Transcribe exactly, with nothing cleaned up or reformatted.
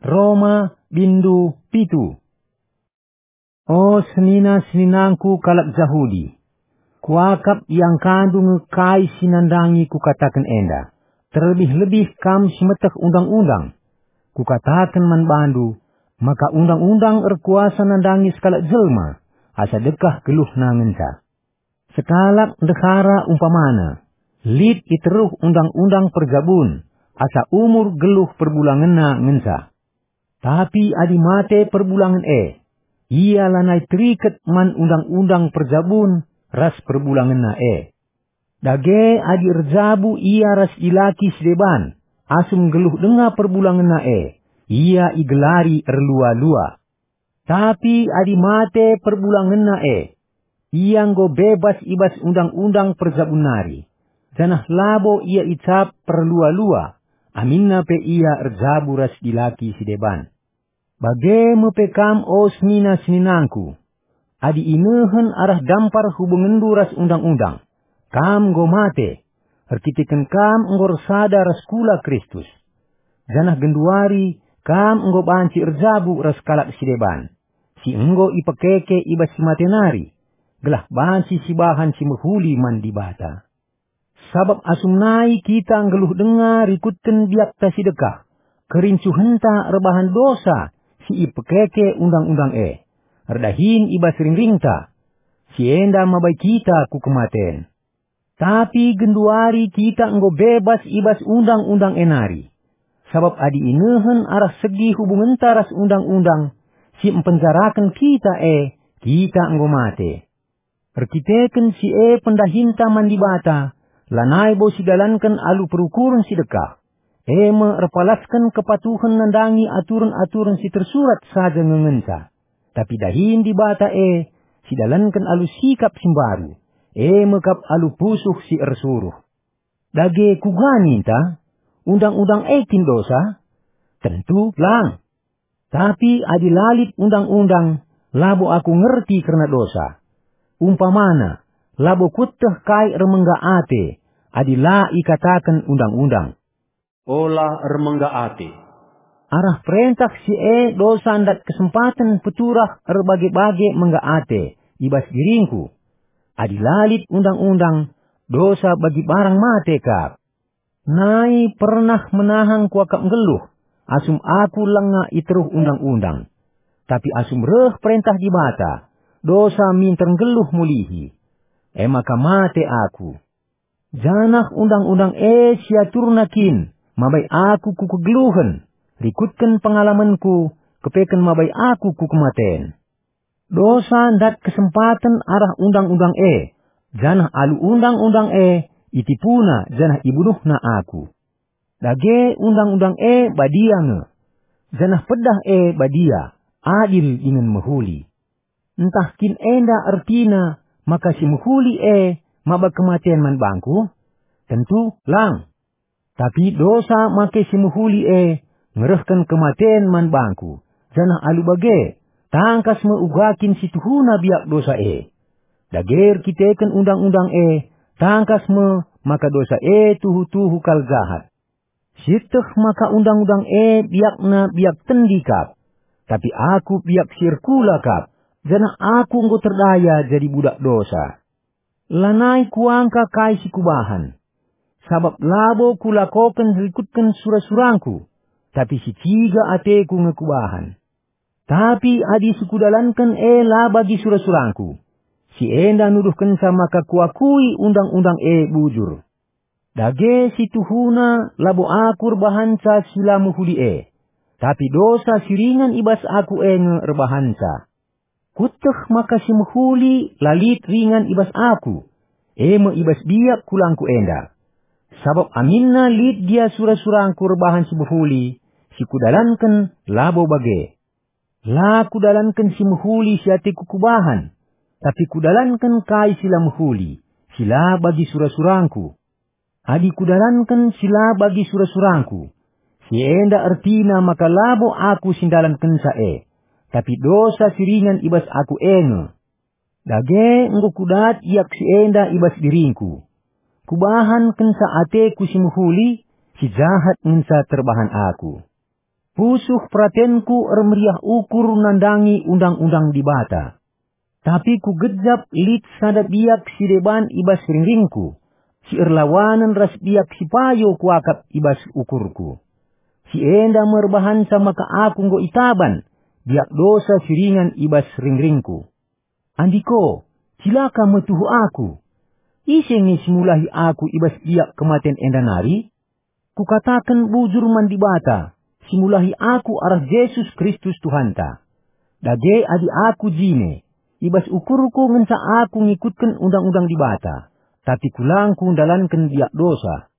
Roma, bindu pitu. O senina-seninangku kalak Jahudi, kuakap iangkandu nge kai si nandangi kukataken enda, terlebih-lebih kam si meteh undang-undang. Kukataken man bandu, maka undang-undang erkuasa nandangi sekalak jelma, asa dekah geluhna ngenca. Sekalak ndehara umpamana, lit i teruh undang-undang perjabun, asa umur geluh perbulangenna ngenca. Tapi adi mate perbulangen e, ia lanai teriket man undang-undang perjabun ras perbulangenna e. Dage adi erjabu ia ras dilaki si deban, asum nggeluh denga perbulangenna e, ia igelari erlua-lua. Tapi adi mate perbulangenna e, ia enggo bebas i bas undang-undang perjabun nari, janah labo ia icap perlua-lua, aminna pe ia erjabu ras dilaki si deban. Bage me pe kam, o senina-seninangku, adi inehen arah dampar hubungenndu ras undang-undang, kam enggo mate, erkiteken kam enggo ersada ras kula Kristus. Janah genduari kam enggo banci erjabu ras kalak si deban, si enggo ipekeke i bas si mate nari, gelah banci sibahan si mehuli man Dibata. Sabap asum nai kita nggeluh denga rikutken biakta si dekah, kerincuhenta erbahan dosa si ipekeke undang-undang e, erdahin i bas ringringta, si enda mabai kita ku kematen. Tapi genduari kita enggo bebas i bas undang-undang e nari. Sabap adi inehen arah segi hubungenta ras undang-undang si mpenjaraken kita e, kita enggo mate. Erkiteken si e pendahinta man Dibata, lanai bo sidalanken alu perukuren si dekah, e me erpalasken kepatuhen nandangi aturen-aturen si tersurat saja nge ngenca. Tapi dahin Dibata e sidalanken alu sikap si mbaru, e me kap alu pusuh si ersuruh. Dage kuga ninta? Undang-undang e kin dosa? Tentu lang! Tapi adi la lit undang-undang, labo aku ngerti kerna dosa. Umpamana, labo kueteh kai ermengga ate, adi la ikataken undang-undang. Ola ermengga ate. Arah perentah si e dosa ndat kesempaten peturah erbage-bage mengga ate i bas diringku. Adi la lit undang-undang, dosa bagi barang mate kap. Nai pernah menahang kuakap nggeluh, asum aku langa i teruh undang-undang. Tapi asum reh perentah Dibata, dosa minter nggeluh mulihi. E maka mate aku. Janah undang-undang e siaturna kin mabai aku ku kegeluhen, rikutken pengalamenku, kepeken mabai aku ku kematen. Dosa ndat kesempaten arah undang-undang e, janah alu undang-undang e itipuna janah ibunuhna aku. Dage undang-undang e badia nge, janah pedah e badia, adil dingen mehuli. Ntah kin enda ertina maka si mehuli e maba kematen man bangku? Tentu lang! Tapi dosa make si mehuli e ngerehken kematen man bangku, janah alu bage, tangkas me uga kin si tuhuna biak dosa e. Dage erkiteken undang-undang e, tangkas me maka dosa e tuhu-tuhu kal jahat. Sieteh maka undang-undang e biakna biak tendi kap, tapi aku biak si erkula kap, janah aku enggo terdaya jadi budak dosa. Lanai kuangka kai si kubahan, sabap labo kulakoken rikutken sura-surangku, tapi si ciga ateku nge kubahan. Tapi adi si kudalanken e la bagi sura-surangku, si enda nuduhkenca maka kuakui undang-undang e bujur. Dage si tuhuna labo aku erbahanca si la mehuli e, tapi dosa si ringan i bas aku e nge erbahanca. Kueteh maka si mehuli la lit ringan i bas aku, e me i bas biak kulangku enda. Sabap aminna lit gia sura-surangku erbahan si mehuli, si kudalanken labo bage. La kudalanken si mehuli si ateku kubahan, tapi kudalanken kai si la mehuli, si la bagi sura-surangku. Adi kudalanken si la bagi sura-surangku, si enda ertina maka labo aku si ndalankenca e, tapi dosa si ringan i bas aku e nge. Dage enggo kudat iak si enda i bas diringku. Kubahan kenca ateku si mehuli, si jahat ngenca terbahan aku. Pusuh peratenku ermeriah ukur nandangi undang-undang Dibata. Tapi kugejap lit sada biak si deban i bas ringringku, si erlawanen ras biak si payo kuakap i bas ukurku. Si enda me erbahanca maka aku enggo itaban biak dosa si ringan i bas ringringku. Andiko, cilaka me tuhu aku! Ise nge si mulahi aku i bas biak kematen enda nari? Kukataken bujur man Dibata, si mulahi aku arah Jesus Kristus Tuhanta. Dage adi aku jine, i bas ukurku ngenca aku ngikutken undang-undang Dibata, tapi kulangku ndalanken biak dosa.